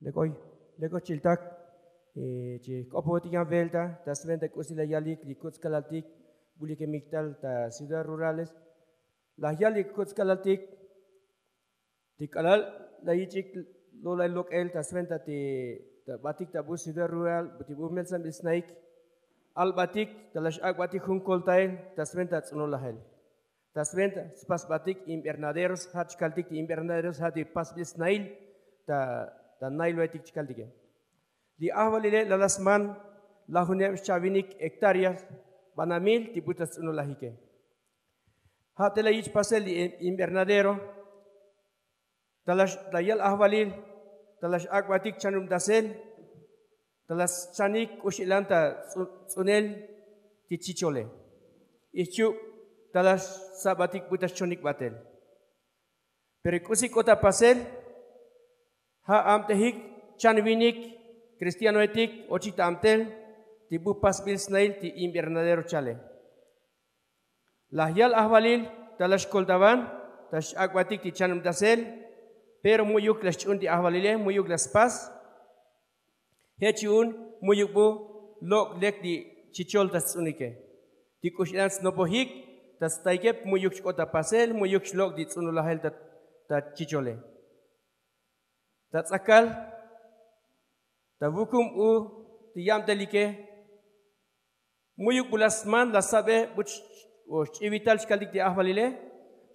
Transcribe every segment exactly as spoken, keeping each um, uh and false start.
Lek oy, lek oy chiltak. Chi jk'opotik yan velta ta sventa k'usi la yalik li kuts' kalaltik, bulikemik tal ta ciudad rurales. La yalik kuts' kalaltik ti k'alal la yich'ik lo'lay lok'el ta sventa ti ta batik ta bu ciudad rural ti bu melsanbil snaik. Albatik ta la x'ak'batik jun koltael ta sventa ts'unulajel, ta sventa spasbatik invernaderos ja' chkaltik ti invernaderos ja' ti pasbil snail ta nailbaetik chkaltike. Li ajvalile la la sman lajuneb xchavinik hektáreas banamil ti bu ta sts'unulajike. Ja' te la yich' pasel li invernadero ta la yal ajvalil ta la x'ak'batik chanubtasel ta la schanik k'ux ilan ta ts'unel ti chichole. Ixchub ta la sa'batik bu ta xchonik batel. Pero k'usi k'ot ta pasel ja' abtejik chan vinik kristianoetik ochik ta abtel ti bu pasbil snail ti invernadero chale. La yal ajvalil ta la xkoltavan ta x'ak'batik ti chanubtasel. Pero mu'yuk la xch'un ti ajvalile mu'yuk la spas. Je' chi un mu'yuk bu lok' lek li chichol ta sts'unike ti k'ux ilan snopojik ta staike mu'yuk xk'ot ta pasel mu'yuk xlok' ti ts'unulajel ta chichole. Ta ts'akal ta vukum u ti yabtelike mu'yuk bu la sman la sabe bu xch'ivital chkaltik ti ajvalile.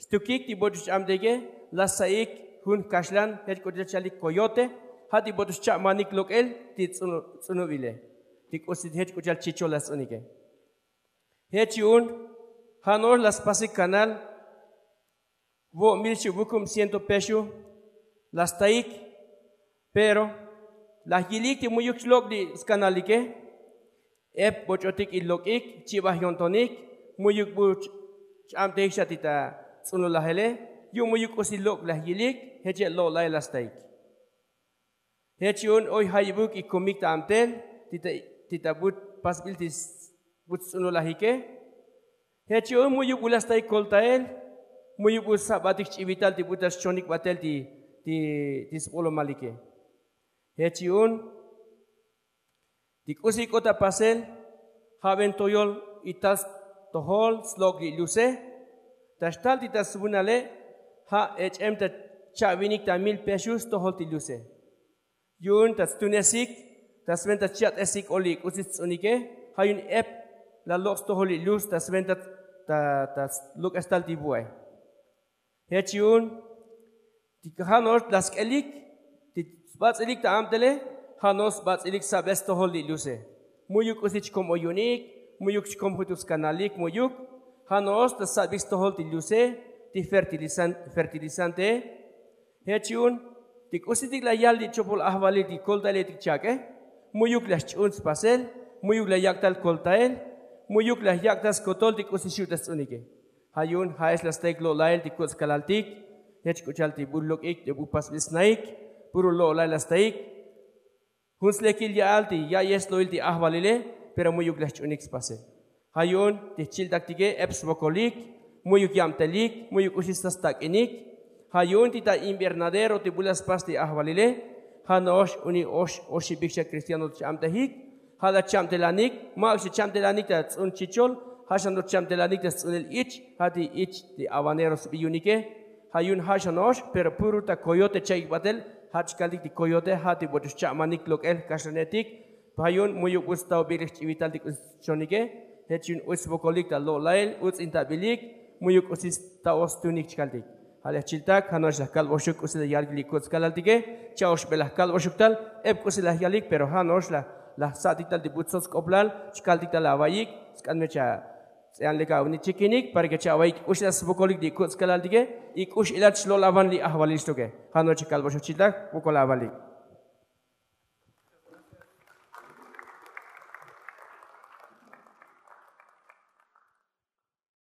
Stukik ti bocho xch'abteike la saik jun kaxlan jech k'u chal chalik koyote ja' ti bocho xcha'manik lok'el ti ts'unubile ti k'usi jech k'u chal chichol la sts'unike. Jech chi un ja' no'ox la spasik kanal vo' mil xu' vukum ciento pexu la staik. Pero la yilik ti mu'yuk xlok' li skanalike ep boch'otik ilok'ik chibaj yo'ntonik mu'yuk bu ch'abtejik xa ti ta ts'unulajele. Yu' mu'yuk k'usi lok' la yilik jech che' lo'la'el la staik. Jech chi un oy jayibuk ikomik ta abtel ti ta but pasbil ti bu ts'unulajike. Jech chi un mu'yuk bu la staik koltael mu'yuk bu sa'batik xch'ivital ti bu ta xchonik batel ti sbolomalike. Jech chi un ti k'usi k'ot ta pasel ja' ven toyol ital stojol slok' li luse. Ta xtal ti ta svunale ja' ech'em ta cha'vinik ta mil pexu stojol ti luse. Yu'un ta stunesik ta sventa cha'tesik o li k'usi sts'unike ja' yu'un ep la lok' stojol li lus ta sventa ta luk'estal ti vu'e. Jech yu'un ti ja' no'ox la sk'elik ti sbats'ilik ta abtele ja' no'ox sbats'ilik sabe stojol li luse. Mu'yuk k'usi chkom oyunik mu'yuk chkom jutuk skanalik mu'yuk ja' no'ox ta sabik stojol ti luse ti fertilizantee. Jech yu'un ti k'usitik la yal li chopol ajvalil ti koltaeletik chak'e mu'yuk la xch'un spasel mu'yuk la yak' tal koltael mu'yuk la yak' tal skotol ti k'usi xu' ta sts'unike. Ja' yu'un ja'ex la staik lo'la'el ti kuts' kalaltik jech k'u chal ti bu lok'ik ti bu pasbil snaik puro lo'la'el la staik. Jun slekil ya'al ti ya'yej slo'il ti ajvalile pero mu'yuk la xch'unik spasel. Ja' yu'un ti jchiltaktike ep svokolik mu'yuk yabtelik mu'yuk k'uxi sta stak'inik. Ja' yu'un ti ta invernadero ti bu la spas ti ajvalile ja' no'ox unik ox oxibik xa kristiano ch'abtejik. Ja' la cha'btelanik ma'uk xa cha'btelanik ta ts'un chichol ja' xa no'ox cha'btelanik ta sts'unel ich ja' ti ich ti abanero sbi yu'unike. Ja' yu'un ja' xa no'ox pero puro ta koyote cha'ik batel ja' chkaltik ti koyote ja' ti bocho xcha'manik lok'el kaxlanetik. Ja' yu'un mu'yuk bu sta'obik li jch'ivital ti k'usi xchonike. Jech yu'un uch svokolik ta lo'la'el uts'intabilik mu'yuk k'usi sta'o stunik chkaltik. Ja' li jchiltak ja' no'ox la kalboxuk k'usi la yalik li kuts' kalaltike. Cha'oxbe la kalboxuk tal ep k'usi la yalik pero ja' no'ox la sa'tik tal ti bu tsots k'oplal chkaltik tal ava'yik. Sk'an me cha ts'ean lek avinik chikinik para ke cha ava'yik k'uxi la svokolik li kuts' kalaltike y k'ux ilat xlo'lavan li ajvalil xtoke. Ja' no'ox cha kalboxuk chiltak vokol avalik.